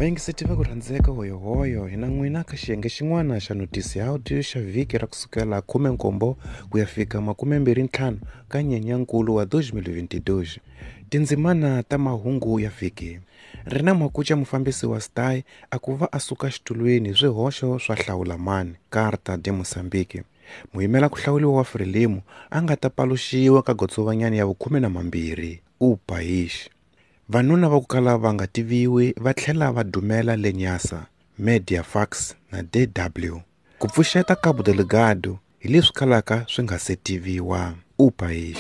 Vayingiseti va ku rhandzeka hoyohoyo hi na n'wina ka xiyenge xin'wana xa notisi ya audio xa vhiki ra kusukela 17 ku ya fika 25 ka Nyenyankulu wa 2022. Tindzimana ta mahungu ya vhiki. Ri na makuca mufambisi wa STAI a ku va a suka xitulwini swihoxo swa hlawulamani Carta de Moçambique. Muyimela ku hlawuriwa wa Frelimo a nga ta paluxiwa ka gotsovanyani ya vu-12 U País. Vanuna va ku kala va nga tiviwi va tlhela va dumela le Nyasa, Mediafax na DW. Ku pfuxeta Cabo Delgado hi leswi kalaka swi nga se tiviwa. U País.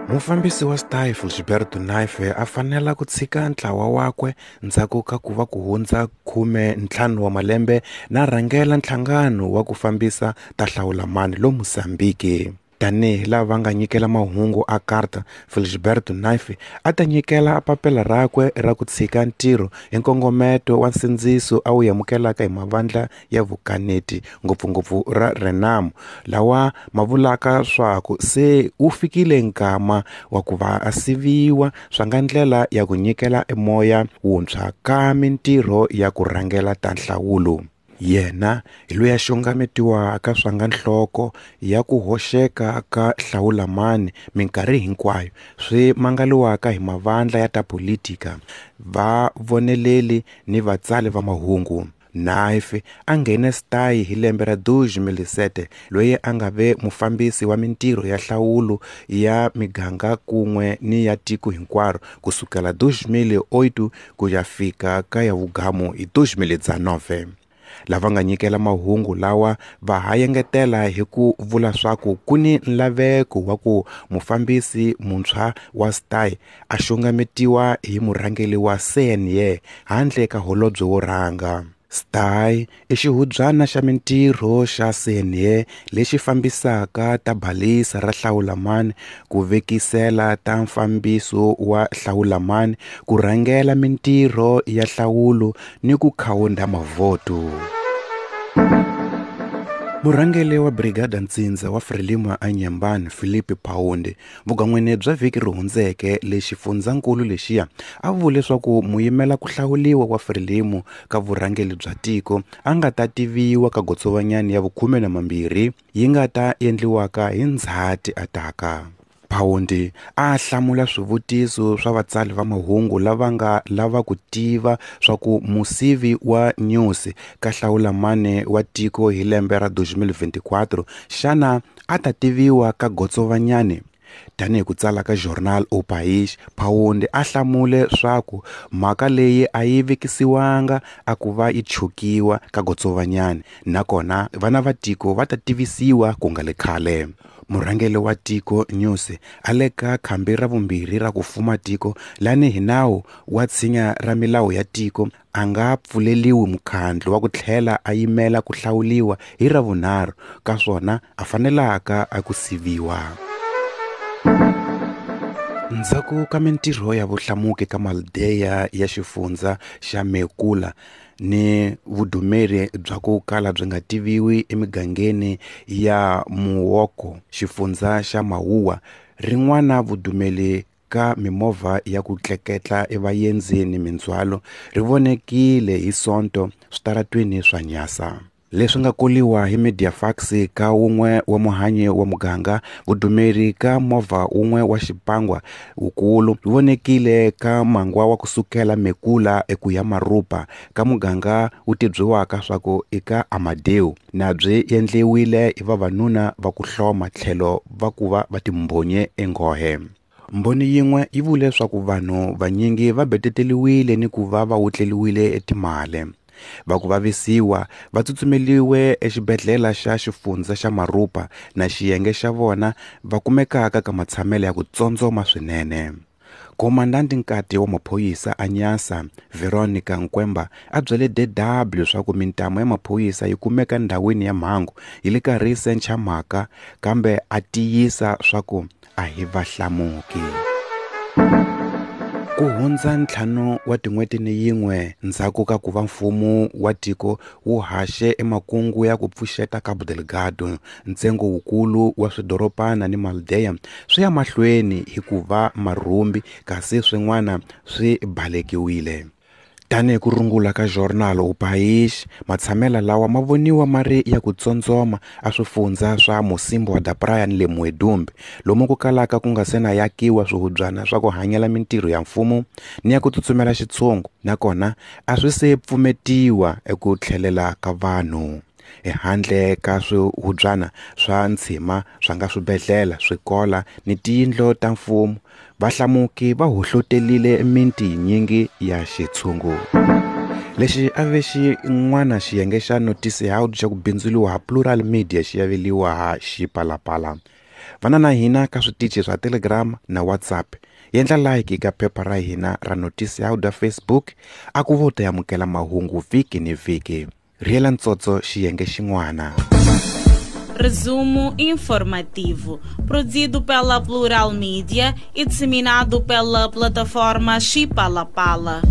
Mufambisi wa STAI Gilberto Naife a fanela ku tshika ntlawa wakwe ndzhaku ka ku va ku hundza 15 wa malembe na rhangela nhlangano wa ku fambisa ta hlawulamani lo Mozambique. Tanihi lava va nga nyikela mahungu a Carta, Felisberto Naife a ta nyikela papila rakwe ra ku tshika ntirho hi nkongometo wa nsindziso a wu amukelaka hi mavandla ya vukaneti ngopfungopfu ra Renamo lawa ma vulaka swaku se wu fikile nkama wa ku va a siviwa swa nga ndlela ya ku nyikela emoya wuntshwa ka mintirho ya ku rhangela ta nhlawulo. Yena hi loyi a xongametiwaka swa nga nhloko ya ku hoxeka ka hlawulamani minkarhi hinkwayo swi mangaliwaka hi mavandla ya ta politika, vavoneleli ni vatsali va mahungu. Naife a nghene STAI hi lembe ra 2007 loyi a nga ve mufambisi wa mintirho ya nhlawulo ya miganga kun'we ni ya tiko hinkwaro kusukela 2008 ku ya fika ka ya vugamu hi 2019. Lava nga nyikela mahungu lawa va ha engetela hi ku vula swaku ku ni nlaveko wa ku mufambisi muntshwa wa STAI a xongametiwa hi murhangeri wa CNE handle ka holobye wo rhanga. STAI i xihubyana xa mintirho xa CNE lexi fambisaka ta balisa ra hlawulamani ku vekisela ta mfambiso wa hlawulamani ku rhangela mintirho ya nhlawulo ni ku khawunda mavhoto. Murhangeri wa Brigada Ntsindza wa Frelimo a Nyembani Filipe Paunde vugan'wini bya vhiki ri hundzeke le xifundzankulu lexiya a vule leswaku muyimela ku hlawuriwa wa Frelimo ka vurhangeri bya tiko a nga ta tiviwa ka gotsovanyani ya vu-12 yi nga ta endliwaka hi Ndzhati ataka. Paunde a hlamula swivutiso swa vatsali va mahungu lava nga lava ku tiva swa ku musivi wa Nyusi ka hlawulamani wa tiko hi lembe ra 2024 xana a ta tiviwa ka gotsovanyani. Tanihi ku tsala ka Jornal O País, Paunde a hlamule swaku mhaka leyi a yi vekisiwanga a ku va yi chukiwa ka gotsovanyani nakona vana va tiko va ta tivisiwa ku nga le khale. Murhangeri wa tiko Nyusi a le ka khambi ra vumbirhi ra ku fuma tiko lani hi nawu wa tshinya ra milawu ya tiko a nga pfuleliwi mukhandlu wa ku tlhela a yimela ku hlawuliwa hi ra vunharhu ka swona a fanelaka a ku siviwa. Ndzhaku ka mintirho ya vuhlamuki ka Maldeya ya xifundza xa Mekula ni vudumeri bya ku kala byi nga tiviwi emigangeni ya Muoko xifundza xa Mawuwa rin'wana vudumeli ka mimovha ya ku tleketla evaendzini mindzhwalo ri vonekile hi Sonto switaratweni swa Nyasa. Leswi nga koliwa hi Mediafax ka wun'we wa muhanyi wa muganga vudumeri ka movha wun'we wa xipangwa wukulu ri vonekile ka mangwa wa kusukela Mekula eku ya Marupa ka muganga wu tibyiwaka swaku i ka Amadeu na byi endliwile hi vavanuna va ku hloma tlhelo va ku va va timbhonye enghohe. Mbhoni yin'we yi vule swaku vanhu vanyingi va beteteliwile ni ku va va wutleliwile etimale. Va ku vavisiwa va tsutsumeliwe exibedhlele xa xifundza xa Marupa na xiyenge xa vona va kumekaka ka matshamelo ya ku tsondzoma swinene. Komandanti nkati wa maphorisa a Nyasa Veronica Nkwemba a byele DW swa ku mintamu ya maphorisa yi kumeka ndhawini ya mhangu yi le karhi yi sencha mhaka kambe a tiyisa swa ku a hi vahlamuki. Ku hundza ntlhanu wa tin'hweti ni yin'we ndzhaku ka ku va mfumo wa tiko wu haxe emakungu ya ku pfuxeta Cabo Delgado, ntsengo wukulu wa swidoropana ni maldeya swi ya mahlweni hi ku va marhumbi kasi swin'wana swi balekiwile. Tanihi ku rungula ka Jornal O País, matshamela lawa ma voniwa ma ri ya ku tsondzoma a swifundza swa Mocímboa da Praia ni le Muidumbe, lomu ku kalaka ku nga se na yakiwa swihubyana swa ku hanyela mintirho ya mfumo ni ya ku tsutsumela xitshungu, nakona a swi se pfumetiwa eku tlhelela ka vanhu. Ehandle ka swihubyana swa ntshima swa nga swibedhlele, swikola ni tiyindlu ta mfumo, vahlamuki va hohlotelile miti yinyingi ya xitshungu. Lexi a ve xin'wana xiyenge xa Noticiário xa ku bindzuriwa ha Plural Media xi aveliwa ha Xipalapala. Vana na hina ka switichi swa Telegram na WhatsApp. Yendla like ka phepha ra hina ra Noticiário Facebook a ku vo ta amukela mahungu vhiki ni vhiki. Riela ntsotso xiyenge xin'wana. Resumo informativo, produzido pela Plural Mídia e disseminado pela plataforma Chipalapala.